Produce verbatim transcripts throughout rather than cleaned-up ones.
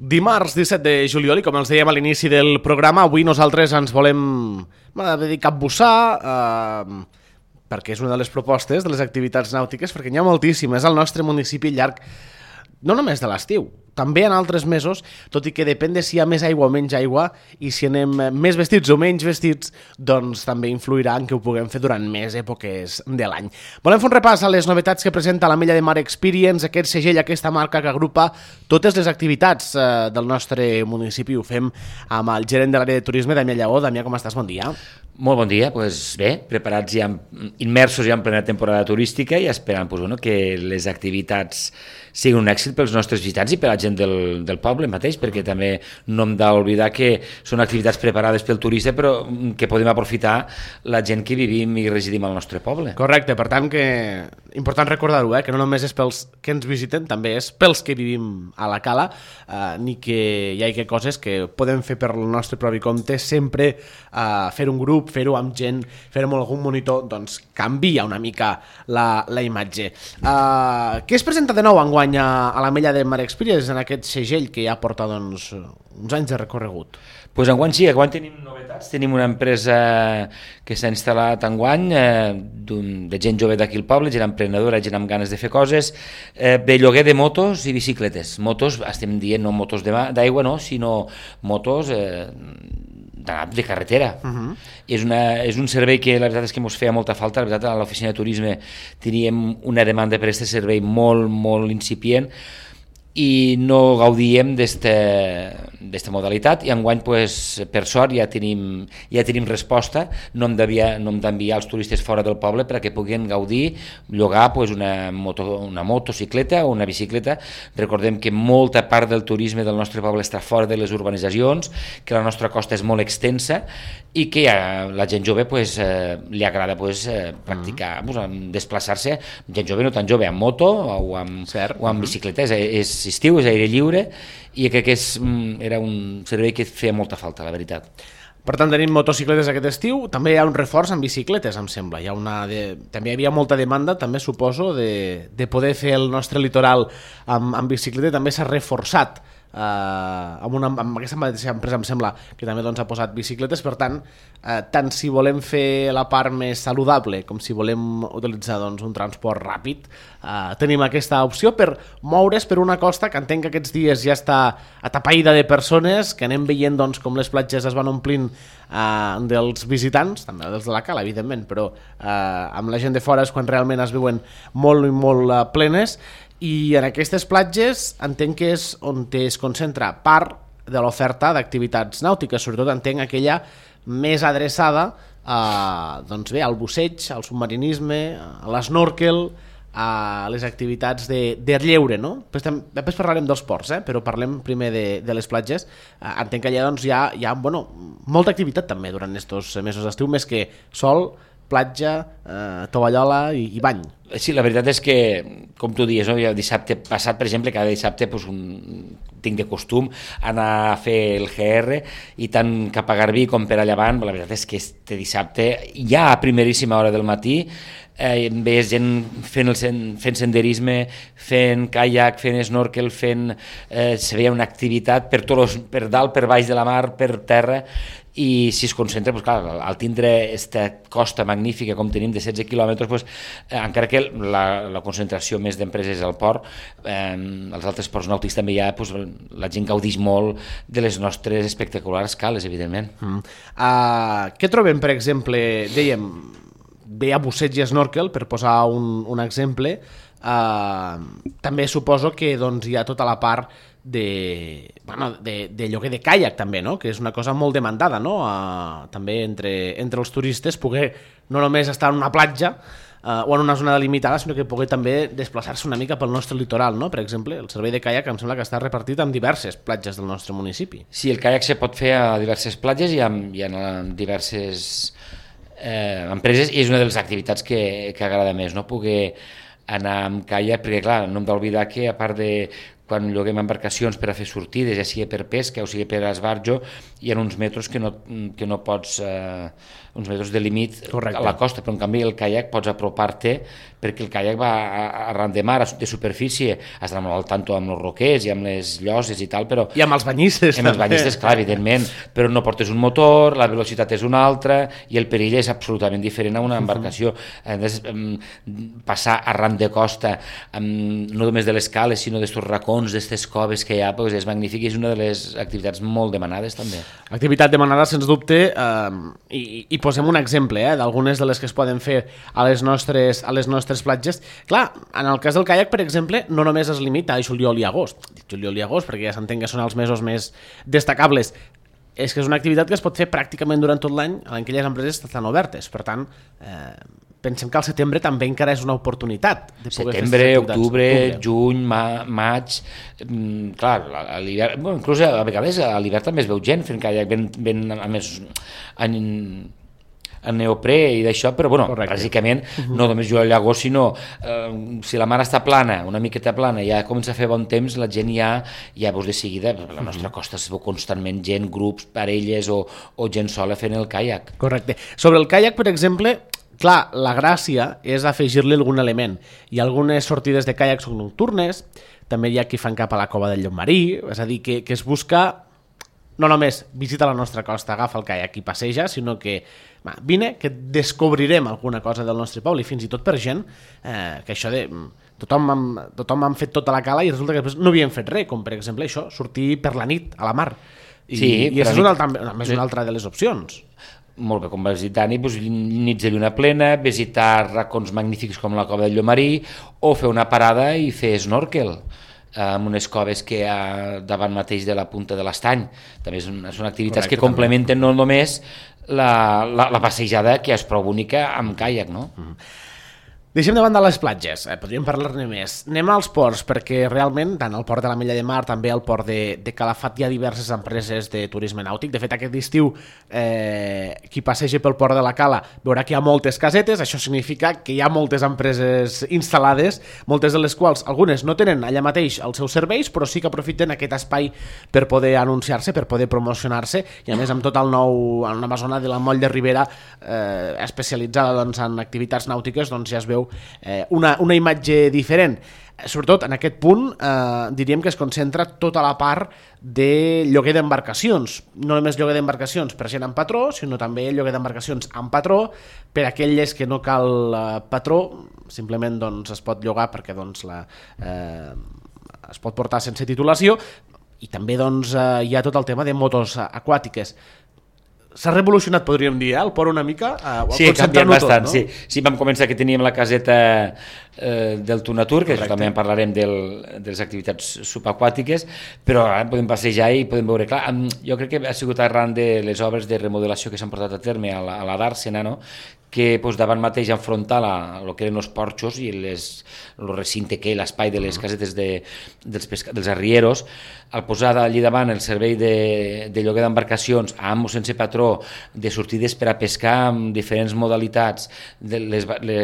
Dimarts disset de juliol, i com els dèiem a l'inici del programa, avui nosaltres ens volem dedicar a bussar, eh, perquè és una de les propostes de les activitats nàutiques, perquè n'hi ha moltíssimes al nostre municipi al llarg, no només de l'estiu, també en altres mesos, tot i que depèn de si hi ha més aigua o menys aigua, i si anem més vestits o menys vestits, doncs també influirà en que ho puguem fer durant més èpoques de l'any. Volem fer un repàs a les novetats que presenta l'Ametlla de Mar Experience, aquest segell, aquesta marca que agrupa totes les activitats eh, del nostre municipi. Ho fem amb el gerent de l'àrea de turisme, Damià Lleó. Damià, com estàs? Bon dia. Molt bon dia, pues bé, preparats ja, immersos ja en plena temporada turística i esperant pues, bueno, que les activitats siguin un èxit pels nostres visitants i per la gent del, del poble mateix, perquè també no hem d'oblidar que són activitats preparades pel turista però que podem aprofitar la gent que vivim i residim al nostre poble. Correcte, per tant que important recordar-ho, eh? Que no només és pels que ens visiten, també és pels que vivim a la cala, eh, ni que hi hagi coses que podem fer per el nostre propi compte, sempre eh, fer un grup, fer-ho amb gent, fer-ho amb algun monitor, doncs canvia una mica la, la imatge. Uh, què es presenta de nou enguany a, a l'Ametlla de Mar Experience en aquest segell que ja porta doncs, uns anys de recorregut? Pues enguany sí, enguany tenim novetats, tenim una empresa que s'ha instal·lat enguany, eh, de gent jove d'aquí al poble, gent emprenedora, gent amb ganes de fer coses, eh, de lloguer de motos i bicicletes. Motos, estem dient no motos d'aigua, no, sinó motos eh, de carretera. Uh-huh. És, una, és un servei que la veritat és que ens feia molta falta. La veritat, a l'oficina de turisme teníem una demanda per aquest servei molt, molt incipient i no gaudíem d'esta modalitat, i enguany, pues, per sort, ja tenim, ja tenim resposta. No hem d'enviar els turistes fora del poble perquè puguin gaudir, llogar pues, una, moto, una motocicleta o una bicicleta. Recordem que molta part del turisme del nostre poble està fora de les urbanitzacions, que la nostra costa és molt extensa i que a la gent jove pues, eh, li agrada pues, eh, practicar, mm. pues, desplaçar-se, gent jove no tan jove, amb moto o amb, o amb bicicleta. És, és estiu, és aire lliure, i crec que és, era un servei que feia molta falta, la veritat. Per tant, tenim motocicletes aquest estiu, també hi ha un reforç en bicicletes, em sembla. Hi ha una de... També hi havia molta demanda, també suposo, de, de poder fer el nostre litoral amb, amb bicicleta, també s'ha reforçat. Uh, amb, una, amb aquesta mateixa empresa em sembla que també doncs, ha posat bicicletes. Per tant, uh, tant si volem fer la part més saludable com si volem utilitzar doncs, un transport ràpid, uh, tenim aquesta opció per moure's per una costa que entenc que aquests dies ja està atapeïda de persones, que anem veient doncs, com les platges es van omplint uh, dels visitants, també dels de la cala evidentment, però uh, amb la gent de fora és quan realment es veuen molt i molt uh, plenes. I en aquestes platges entenc que és on es concentra part de l'oferta d'activitats nàutiques, sobretot entenc aquella més adreçada a, doncs bé, al busseig, al submarinisme, a l'esnorkel, a les activitats de, de lleure, no? Després, després parlarem dels ports, eh? Però parlem primer de, de les platges. Entenc que allà doncs, hi ha, hi ha bueno, molta activitat també durant aquests mesos d'estiu, més que sol, platja, eh, tovallola i, i bany. Sí, la veritat és que, com tu dius, no? Dissabte passat, per exemple, cada dissabte pues, un, tinc de costum anar a fer el G R, i tant cap a Garbí com per allà avant, la veritat és que este dissabte, ja a primeríssima hora del matí, eh, veies gent fent, el, fent senderisme, fent kayak, fent snorkel, fent, eh, se veia una activitat per, tots, per dalt, per baix de la mar, per terra, i si es concentra, pues, clar, al tindre aquesta costa magnífica com tenim de setze quilòmetres, pues, eh, encara que la, la concentració més d'empreses al port, eh, els altres ports nàutics també hi ha, pues, la gent gaudix molt de les nostres espectaculars cales, evidentment. Mm. Uh, què trobem, per exemple, dèiem, ve a busseig i snorkel, per posar un, un exemple, uh, també suposo que doncs, hi ha tota la part de, bueno, de, de lloguer de caiac també, no? Que és una cosa molt demandada, no? Uh, també entre, entre els turistes poder no només estar en una platja uh, o en una zona delimitada, sinó que poder també desplaçar-se una mica pel nostre litoral, no? Per exemple, el servei de caiac em sembla que està repartit en diverses platges del nostre municipi. Sí, el caiac se pot fer a diverses platges i en, i en diverses eh, empreses, i és una de les activitats que, que agrada més, no? Poder anar amb caiac, perquè clar, no hem d'oblidar que a part de quan lloguem embarcacions per a fer sortides, ja sigui per pesca o sigui per esbarjo, hi ha uns metres que no, que no pots, eh, uns metres de límit a la costa, però en canvi el caiac pots apropar-te perquè el caiac va arran de mar, de superfície, has d'anar molt al tanto amb els roquers i amb les lloses i tal, però... I amb els banyistes. Amb els banyistes, clar, evidentment, però no portes un motor, la velocitat és una altra i el perill és absolutament diferent a una embarcació. Uh-huh. Passar arran de costa, no només de les cales, sinó d'estos racons, d'estes coves que hi ha, doncs és magnífic i és una de les activitats molt demanades també. Activitat demanada, sens dubte, eh, i, i posem un exemple eh, d'algunes de les que es poden fer a les nostres, a les nostres platges. Clar, en el cas del caiac, per exemple, no només es limita a juliol i agost, juliol i agost perquè ja s'entén que són els mesos més destacables, és que és una activitat que es pot fer pràcticament durant tot l'any en aquelles empreses que estan obertes. Per tant, eh, pensem que al setembre també encara és una oportunitat de poder setembre, fer octubre, juny, ma, maig, mm, clar, a l'hivern, bueno, inclús a vegades a l'hivern també es veu gent fent caiac, ben, ben a més en, en neoprè i d'això, però bueno, correcte. Bàsicament no només jugar a llago, sinó eh, si la mar està plana, una miqueta plana, ja comença a fer bon temps, la gent ja, ja veus de seguida, la nostra costa es veu constantment gent, grups, parelles o, o gent sola fent el caiac. Correcte. Sobre el caiac, per exemple, clar, la gràcia és afegir-li algun element. Hi ha algunes sortides de caiac són nocturnes, també hi ha qui fan cap a la cova del Llopmarí, és a dir, que, que es busca no només visita la nostra costa, agafa el caiac i passeja, sinó que va, vine, que descobrirem alguna cosa del nostre poble, i fins i tot per gent eh, que això de... Tothom han, tothom han fet tota la cala i resulta que després no havien fet res, com per exemple això, sortir per la nit a la mar. I, sí, i això és una altra, més una altra de les opcions. Molt bé, com vas dir, Dani, doncs, nits de lluna plena, visitar racons magnífics com la cova del Llomarí o fer una parada i fer snorkel amb unes coves que hi ha davant mateix de la punta de l'Estany. També són, són activitats Correcte, que complementen també. No només la, la, la passejada, que és prou bonica, amb caiac, no? Mm-hmm. Deixem de banda les platges, eh, podríem parlar-ne més. Anem als ports, perquè realment, tant al port de l'Ametlla de Mar, també al port de, de Calafat, hi ha diverses empreses de turisme nàutic. De fet, aquest estiu, eh, qui passegi pel port de la Cala veurà que hi ha moltes casetes, això significa que hi ha moltes empreses instal·lades, moltes de les quals, algunes no tenen allà mateix els seus serveis, però sí que aprofiten aquest espai per poder anunciar-se, per poder promocionar-se, i a més amb tot el nou, en una zona de la Moll de Ribera eh, especialitzada doncs, en activitats nàutiques, doncs ja es veu Eh, una, una imatge diferent. Sobretot en aquest punt eh, diríem que es concentra tota la part de lloguer d'embarcacions, no només lloguer d'embarcacions per gent amb patró, sinó també lloguer d'embarcacions amb patró per aquelles que no cal eh, patró, simplement doncs, es pot llogar perquè doncs, la, eh, es pot portar sense titulació, i també doncs, eh, hi ha tot el tema de motos aquàtiques. S'ha revolucionat, podríem dir, eh, el port una mica? Eh, sí, ha canviat bastant, tot, no? sí. Sí, vam començar que teníem la caseta eh, del Tunatur, que també en parlarem del, de les activitats subaquàtiques, però ara podem passejar i podem veure. Clar, jo crec que ha sigut arran de les obres de remodelació que s'han portat a terme a la, a la Dàrsena, no? Que doncs, davant mateix enfrontar el que eren els porxos i les, el recinte que l'espai de les casetes de, dels, pesca, dels arrieros, al posar allí davant el servei de, de lloguer d'embarcacions amb o sense patró, de sortides per a pescar amb diferents modalitats de les, le,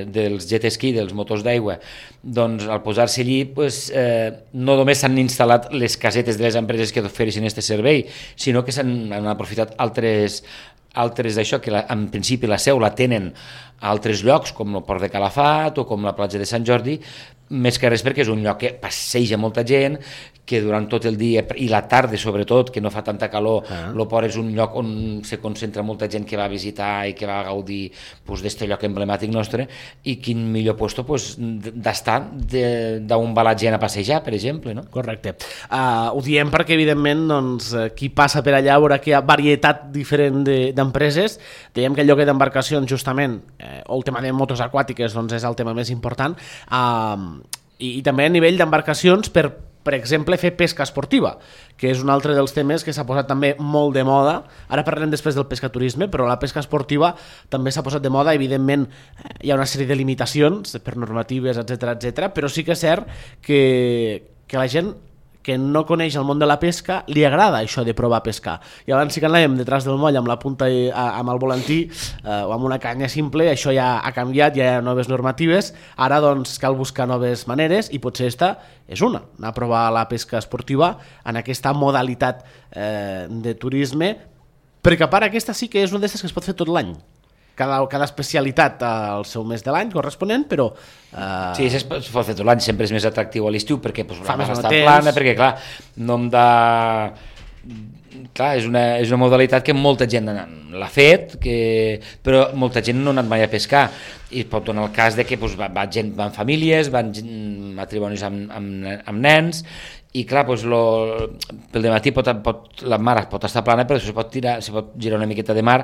dels jet ski, dels motors d'aigua, doncs al posar-se allí pues, eh, no només s'han instal·lat les casetes de les empreses que ofereixen aquest servei, sinó que s'han aprofitat altres altres d'això, que la, en principi la seu la tenen a altres llocs, com el port de Calafat o com la platja de Sant Jordi, més que res perquè és un lloc que passeja molta gent, que durant tot el dia i la tarda sobretot, que no fa tanta calor, ah. el port és un lloc on se concentra molta gent que va a visitar i que va a gaudir pues, d'este lloc emblemàtic nostre, i quin millor puesto pues, d'estar d'on va la gent a passejar, per exemple, no? Correcte. Uh, ho diem perquè evidentment doncs, qui passa per allà veurà que hi ha varietat diferent d'empreses. De, Dèiem que el lloguer d'embarcacions justament, eh, o el tema de motos aquàtiques doncs, és el tema més important, uh, i, i també a nivell d'embarcacions per per exemple, fer pesca esportiva, que és un altre dels temes que s'ha posat també molt de moda. Ara parlarem després del pescaturisme, però la pesca esportiva també s'ha posat de moda. Evidentment, hi ha una sèrie de limitacions per normatives, etcètera, etcètera, però sí que és cert que, que la gent que no coneix el món de la pesca, li agrada això de provar a pescar. I abans sí que anàvem detrás del moll amb la punta i, a, amb el volantí eh, o amb una canya simple, això ja ha canviat, ja hi ha noves normatives, ara doncs cal buscar noves maneres i potser esta és una, anar a provar la pesca esportiva en aquesta modalitat eh, de turisme, perquè a part aquesta sí que és una d'aquestes que es pot fer tot l'any. Cada, cada especialitat al seu mes de l'any corresponent, però... Eh... Sí, es pot fer tot l'any, sempre és més atractiu a l'estiu perquè pues, fa la més mar està temps. plana, perquè clar, no em da... Clar, és una, és una modalitat que molta gent l'ha fet, que... però molta gent no ha anat mai a pescar, i pot donar el cas de que pues, va, va gent, van famílies, van matrimonis amb, amb, amb nens, i clar, doncs, lo, pel dematí pot, pot, la mar pot estar plana, però se pot, tirar, se pot girar una miqueta de mar,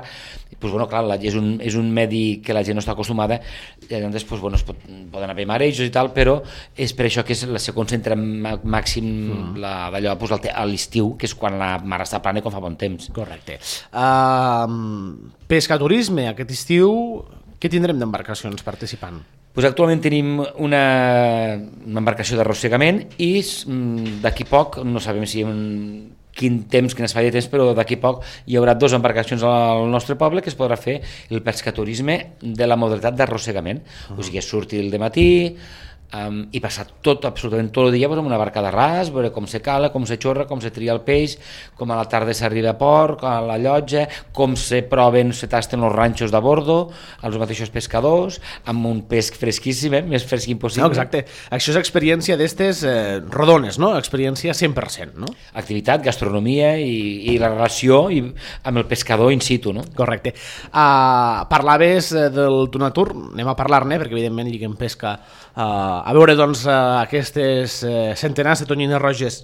i doncs, bueno, clar, la, és, un, és un medi que la gent no està acostumada, i llavors doncs, bueno, es pot, poden haver marejos i tal, però és per això que es, se concentra màxim mm. d'allò doncs, a l'estiu, que és quan la mar està plana i quan fa bon temps. Correcte. Uh, pescaturisme, aquest estiu, què tindrem d'embarcacions participant? Pues actualment tenim una, una embarcació d'arrossegament i d'aquí poc, no sabem si en quin temps, quin espai de temps, però d'aquí poc hi haurà dues embarcacions al nostre poble que es podrà fer el pescaturisme de la modalitat d'arrossegament. Uh-huh. O sigui, sortir el dematí um, i passar tot, absolutament tot el dia pues, amb una barca de ras, veure com se cala, com se xorra, com se tria el peix, com a la tarda s'arriba a port, a la llotja, com se proven, se tasten els ranxos de bordo, els mateixos pescadors, amb un pesc fresquíssim, eh? Més fresc impossible. No, exacte. Això és experiència d'estes eh, rodones, no? Experiència cent per cent, no? Activitat, gastronomia i, i la relació i, amb el pescador in situ, no? Correcte. Uh, parlaves del Tunatur, anem a parlar-ne, perquè evidentment lliguem pesca uh, a veure doncs uh, aquestes uh, centenars de tonyines roges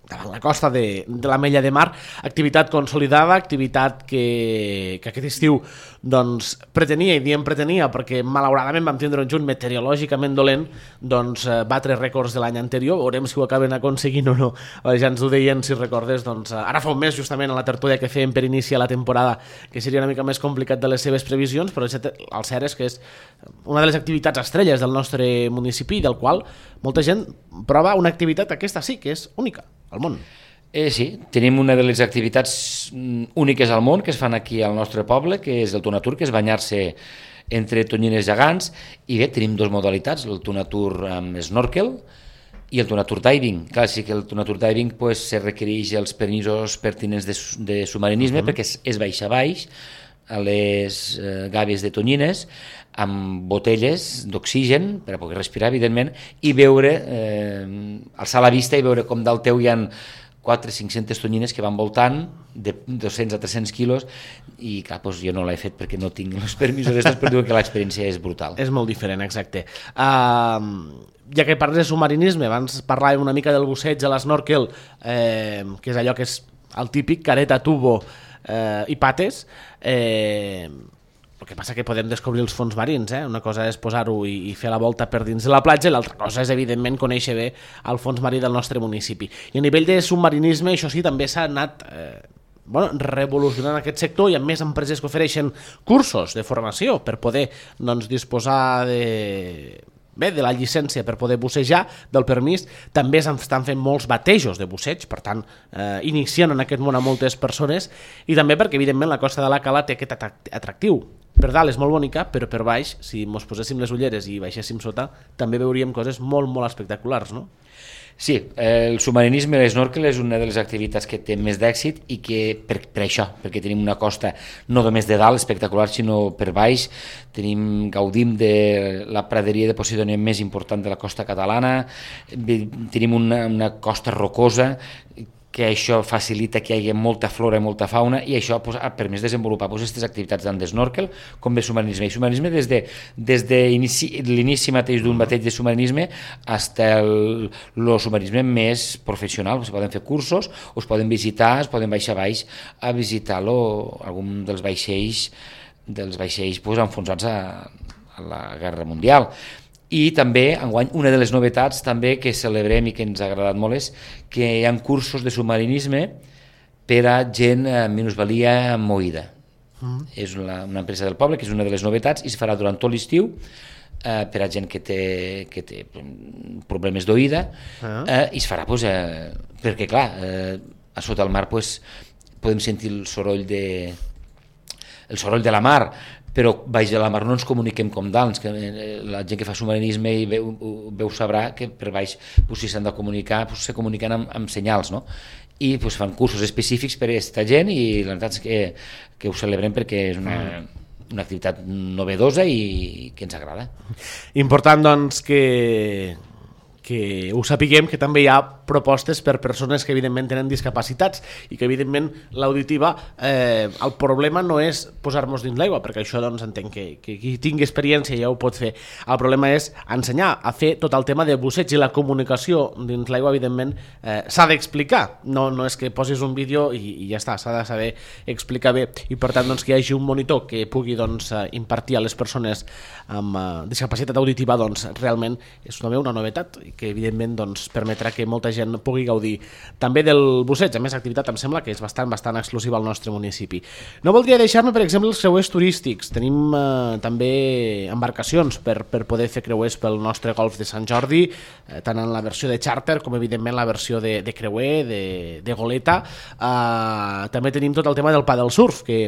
davant la costa de, de l'Ametlla de Mar, activitat consolidada, activitat que, que aquest estiu doncs, pretenia, i diem pretenia perquè malauradament vam tindre un juny meteorològicament dolent, doncs batre rècords de l'any anterior, veurem si ho acaben aconseguint o no. Ja ens ho deien, si recordes, doncs, ara fa un mes justament a la tertúlia que fèiem per iniciar la temporada, que seria una mica més complicat de les seves previsions, però el cert és que és una de les activitats estrelles del nostre municipi, del qual molta gent prova una activitat aquesta sí, que és única al món. Eh, sí, tenim una de les activitats úniques al món que es fan aquí al nostre poble, que és el Tunatur, que és banyar-se entre tonyines gegants, i bé, tenim dues modalitats, el Tunatur amb snorkel i el Tunatur diving. Clar, sí que el Tunatur diving pues, se requereix els permisos pertinents de, de submarinisme, uh-huh. perquè és, és baix a baix, a les eh, gàbies de tonyines, amb botelles d'oxigen per a poder respirar, evidentment, i veure, eh, alçar la vista i veure com dalt teu hi ha quatre o cinc-centes tonyines que van voltant de dos-cents a tres-cents quilos, i clar, doncs jo no l'he fet perquè no tinc els permisos d'estos, però diuen que l'experiència és brutal. És molt diferent, exacte. Uh, ja que parles de submarinisme, abans parlàvem una mica del busseig a l'esnorkel, eh, que és allò que és el típic careta, tubo eh, i pates. Eh, el que passa que podem descobrir els fons marins, eh? Una cosa és posar-ho i, i fer la volta per dins de la platja, i l'altra cosa és, evidentment, conèixer bé el fons marí del nostre municipi. I a nivell de submarinisme, això sí, també s'ha anat eh, bueno, revolucionant aquest sector, i hi ha més empreses que ofereixen cursos de formació per poder doncs, disposar de... bé, de la llicència per poder bussejar, del permís. També s'estan fent molts batejos de busseig, per tant, eh, iniciant en aquest món a moltes persones, i també perquè, evidentment, la costa de la Cala té aquest atractiu. Per dalt és molt bonica, però per baix, si mos poséssim les ulleres i baixéssim sota, també veuríem coses molt, molt espectaculars, no? Sí, el submarinisme, l'esnorkel, és una de les activitats que té més d'èxit, i que per, per això, perquè tenim una costa no només de dalt espectacular, sinó per baix, tenim, gaudim de la praderia de Posidònia més important de la costa catalana, tenim una, una costa rocosa, que això facilita que hi hagi molta flora i molta fauna, i això pues, ha permès desenvolupar aquestes pues, activitats tant d'esnorkel com de submarinisme. I submarinisme des de, des de inici, l'inici mateix d'un bateig de submarinisme fins al submarinisme més professional. Es poden fer cursos, o es poden visitar, es poden baixar baix a visitar algun dels vaixells, dels vaixells pues, enfonsats a, a la Guerra Mundial. I també, enguany, una de les novetats també que celebrem i que ens ha agradat molt és que hi ha cursos de submarinisme per a gent amb minusvalia moïda. Mm. És una, una empresa del poble, que és una de les novetats, i es farà durant tot l'estiu, eh, per a gent que té, que té problemes d'oïda, ah. eh, i es farà, pues, eh, perquè clar, eh, a sota el mar pues, podem sentir el soroll de, el soroll de la mar, però baix de la mar no ens comuniquem com dalt, que la gent que fa submarinisme i veu, veu sabrà que per baix pues, si s'han de comunicar, pues, se comuniquen amb, amb senyals, no? I pues, fan cursos específics per a aquesta gent i la veritat és que, que ho celebrem perquè és una, una activitat novedosa i que ens agrada. Important doncs que, que ho sapiguem, que també hi ha propostes per persones que evidentment tenen discapacitats i que evidentment l'auditiva, eh, el problema no és posar-nos dins l'aigua, perquè això doncs entenc que, que qui tingui experiència ja ho pot fer. El problema és ensenyar a fer tot el tema de busseig i la comunicació dins l'aigua, evidentment eh, s'ha d'explicar, no, no és que posis un vídeo i, i ja està, s'ha de saber explicar bé i per tant doncs, que hi hagi un monitor que pugui doncs, impartir a les persones amb eh, discapacitat auditiva, doncs realment és també una novetat i que evidentment doncs, permetrà que molta gent pugui gaudir també del busseig. A més, activitat em sembla que és bastant bastant exclusiva al nostre municipi. No voldria deixar-me, per exemple, els creuers turístics. Tenim eh, també embarcacions per, per poder fer creuers pel nostre golf de Sant Jordi, eh, tant en la versió de charter com evidentment la versió de, de creuer, de, de goleta. Eh, també tenim tot el tema del paddle surf, que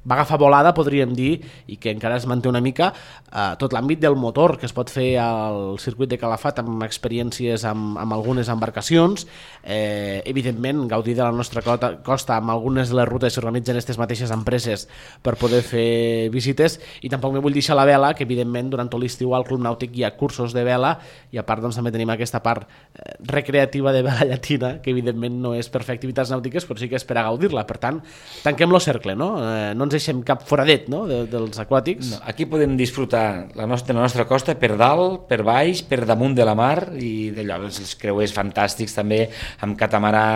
va agafar volada, podríem dir, i que encara es manté una mica eh, tot l'àmbit del motor que es pot fer al circuit de Calafat amb experiències amb, amb algunes embarcacions, eh, evidentment gaudir de la nostra costa amb algunes de les rutes que organitzen aquestes mateixes empreses per poder fer visites, i tampoc me vull deixar la vela, que evidentment durant tot l'estiu al Club Nàutic hi ha cursos de vela i a part doncs, també tenim aquesta part eh, recreativa de vela llatina, que evidentment no és per fer activitats nàutiques però sí que és per a gaudir-la. Per tant, tanquem el cercle, no? Eh, no ens deixem cap foradet, no? de, dels aquàtics. No, aquí podem disfrutar la nostra, la nostra costa per dalt, per baix, per damunt de la mar i d'allò, els creuers fantàstics també, amb catamarà,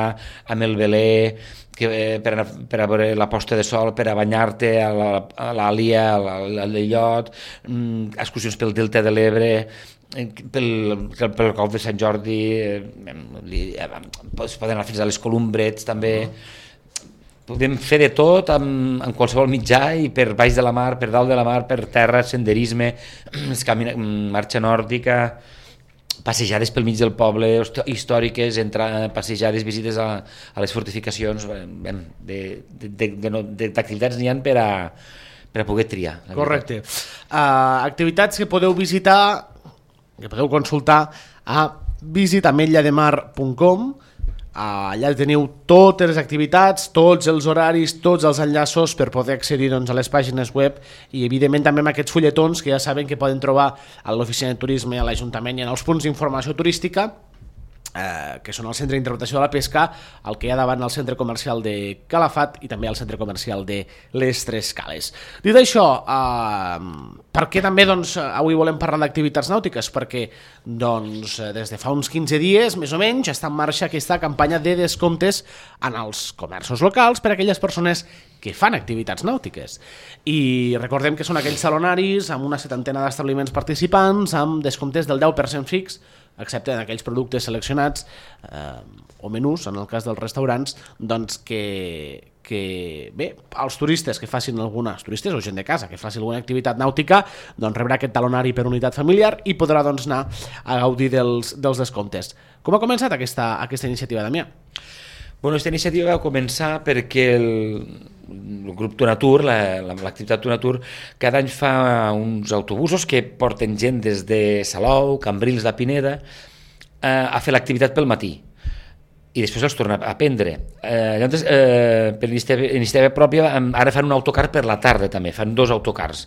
amb el velé, que, eh, per, a, per a veure la posta de sol, per a banyar-te a l'Àlia, a l'Illot, mm, excursions pel Delta de l'Ebre, pel, pel golf de Sant Jordi, eh, es poden anar fins a les Columbrets també. Podem fer de tot amb, amb qualsevol mitjà i per baix de la mar, per dalt de la mar, per terra, senderisme, camina, marxa nòrdica, passejades pel mig del poble, històriques, entrar, passejades, visites a, a les fortificacions, d'activitats n'hi ha per a, per a poder triar. Correcte. Uh, activitats que podeu visitar, que podeu consultar a visita ametlla de mar punt com. Allà teniu totes les activitats, tots els horaris, tots els enllaços per poder accedir doncs, a les pàgines web i evidentment també amb aquests fulletons que ja saben que poden trobar a l'oficina de turisme, a l'Ajuntament i en els punts d'informació turística, eh, que són el centre d'interpretació de la pesca, el que hi ha davant el centre comercial de Calafat i també el centre comercial de les Tres Cales. Dit això, eh, per què també doncs, avui volem parlar d'activitats nàutiques? Perquè doncs, des de fa uns quinze dies, més o menys, està en marxa aquesta campanya de descomptes en els comerços locals per a aquelles persones que fan activitats nàutiques. I recordem que són aquells salonaris amb una setantena d'establiments participants amb descomptes del deu per cent fix, excepte en aquells productes seleccionats eh, o menús, en el cas dels restaurants, doncs que, que bé, els turistes que facin alguna, els turistes o gent de casa que faci alguna activitat nàutica, doncs rebrà aquest talonari per unitat familiar i podrà doncs, anar a gaudir dels, dels descomptes. Com ha començat aquesta, aquesta iniciativa, Damià? Bueno, aquesta iniciativa va començar perquè el, el grup Tonatur, l'activitat Tonatur, cada any fa uns autobusos que porten gent des de Salou, Cambrils de Pineda, eh, a fer l'activitat pel matí i després els torna a prendre. Eh, llavors, eh, per iniciativa pròpia, ara fan un autocar per la tarda també, fan dos autocars.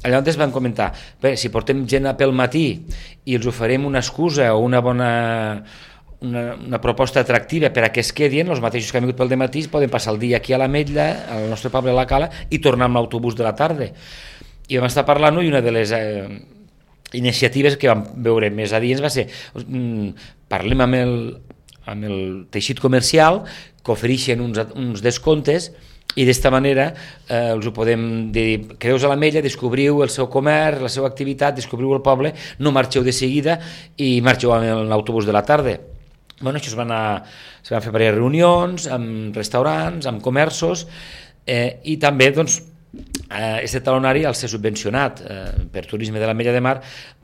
Llavors van comentar, bé, si portem gent pel matí i els oferim una excusa o una bona... Una, una proposta atractiva per a que es quedin, els mateixos que han vingut pel dematí poden passar el dia aquí a l'Ametlla, al nostre poble a la Cala, i tornar amb l'autobús de la tarda. I vam estar parlant-ho i una de les eh, iniciatives que vam veure més a dins va ser mm, parlem amb el, amb el teixit comercial que ofereixen uns, uns descomptes i d'esta manera eh, els ho podem dir, quedeu a l'Ametlla, descobriu el seu comerç, la seva activitat, descobriu el poble, no marxeu de seguida i marxeu amb l'autobús de la tarda. Bueno, això es van, a, es van fer diverses reunions amb restaurants, amb comerços eh, i també doncs, Aquest talonari, al ser subvencionat eh, per Turisme de l'Ametlla de Mar,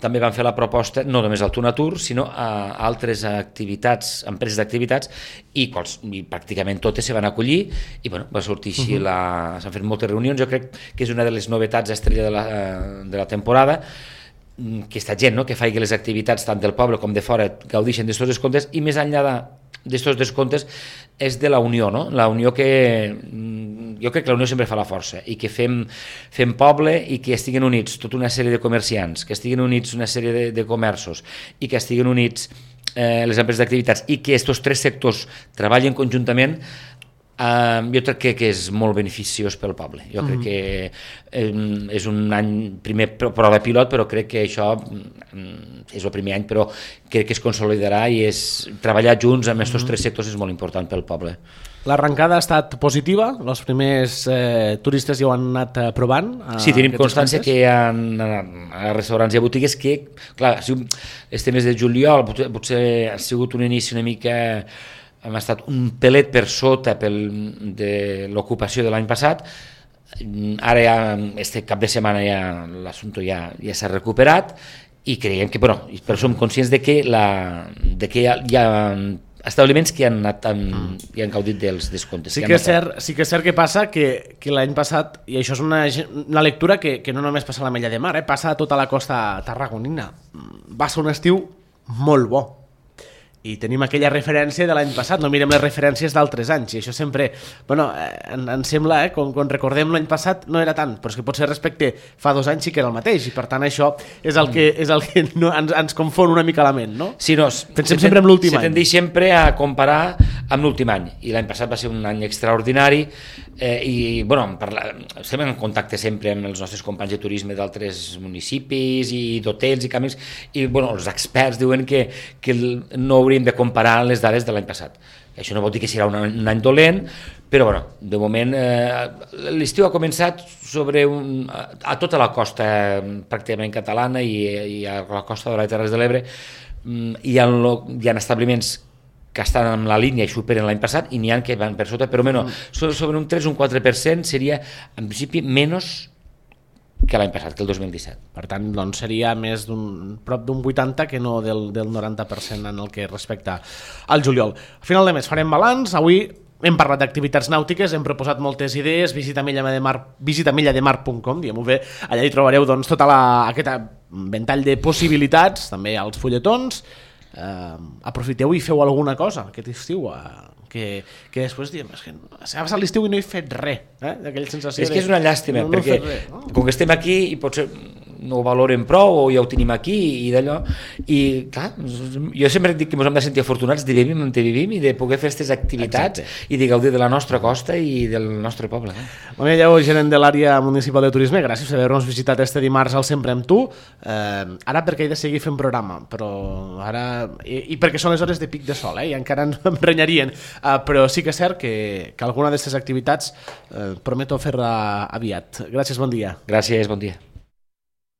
també van fer la proposta no només al Tunatur, sinó a altres activitats, empreses d'activitats, i, quals, i pràcticament totes se van acollir, i bueno, va sortir així, uh -huh. la, s'han fet moltes reunions. Jo crec que és una de les novetats estrella de la, de la temporada, que aquesta gent, no?, que faci les activitats tant del poble com de fora gaudeixen d'estos descomptes, i més enllà d'estos descomptes és de la unió, no? La unió que... Jo crec que la unió sempre fa la força, i que fem, fem poble i que estiguen units tota una sèrie de comerciants, que estiguen units una sèrie de, de comerços, i que estiguen units eh, les empreses d'activitats, i que aquests tres sectors treballen conjuntament. Uh, jo crec que, que és molt beneficiós pel poble. Jo crec mm. que eh, és un any, primer prova pilot, però crec que això mm, és el primer any, però crec que es consolidarà, i és treballar junts amb aquests mm. tres sectors és molt important pel poble. L'arrencada ha estat positiva? Els primers eh, turistes ja ho han anat provant? Sí, tenim constància que hi ha a restaurants i a botigues que, clar, este mes de juliol potser, potser ha sigut un inici una mica... hem estat un pelet per sota pel, de l'ocupació de l'any passat. Ara ja, este cap de setmana ja l'assumpte ja, ja s'ha recuperat, i creiem que, bueno, però som conscients de que, la, de que hi ha, hi ha establiments que han, anat amb, i han gaudit dels descomptes. Sí que, és cert, sí que és cert que passa que, que l'any passat, i això és una, una lectura que, que no només passa a l'Ametlla de Mar, eh, passa a tota la costa tarragonina. Va ser un estiu molt bo, i tenim aquella referència de l'any passat, no mirem les referències d'altres anys, i això sempre, bueno, eh, ens sembla, eh, quan, quan recordem l'any passat no era tant, però és que potser respecte fa dos anys sí que era el mateix, i per tant això és el que, és el que no, ens, ens confon una mica la ment, no? Sí, no, pensem se sempre en l'últim any. Se tendeix sempre a comparar amb l'últim any, i l'any passat va ser un any extraordinari, eh, i bueno, parla, estem en contacte sempre amb els nostres companys de turisme d'altres municipis i d'hotels i camins, i bueno, els experts diuen que, que no hauríem de comparar les dades de l'any passat. Això no vol dir que serà un, un any dolent, però bueno, de moment eh, l'estiu ha començat sobre un, a, a tota la costa pràcticament catalana, i, i a la costa de les Terres de l'Ebre hi ha, hi ha establiments que estan en la línia i superen l'any passat, i n'hi ha que van per sota, però menys, sobre un tres o un quatre per cent seria en principi menys que l'any passat, que el dos mil disset. Per tant, doncs seria més d'un prop d'un vuitanta que no del, del noranta per cent en el que respecta al juliol. A final de mes farem balanç. Avui hem parlat d'activitats nàutiques, hem proposat moltes idees. Visita millademar, visita millademar punt com, diguem-ho bé. Allà hi trobareu doncs, tota la, aquest ventall de possibilitats, també els fulletons. Eh, aprofiteu i feu alguna cosa aquest estiu, eh, que, que després diem, és que s'ha passat l'estiu i no he fet res, eh? Aquella sensació és que de, és una llàstima, no, no perquè res, no? Com que estem aquí i potser no ho valoren prou, o ja ho tenim aquí i d'allò, i clar, jo sempre dic que ens hem de sentir afortunats de vivir on vivim i de poder fer aquestes activitats. Exacte. I de gaudir de la nostra costa i del nostre poble. Eh? Bon dia, gerent de l'àrea municipal de turisme, gràcies per haver-nos visitat este dimarts al Sempre amb tu. Eh, ara perquè he de seguir fent programa, però ara... I, i perquè són les hores de pic de sol, eh? I encara ens emprenyarien, eh, però sí que és cert que, que alguna d'aquestes activitats eh, prometo fer-la aviat. Gràcies, bon dia. Gràcies, bon dia.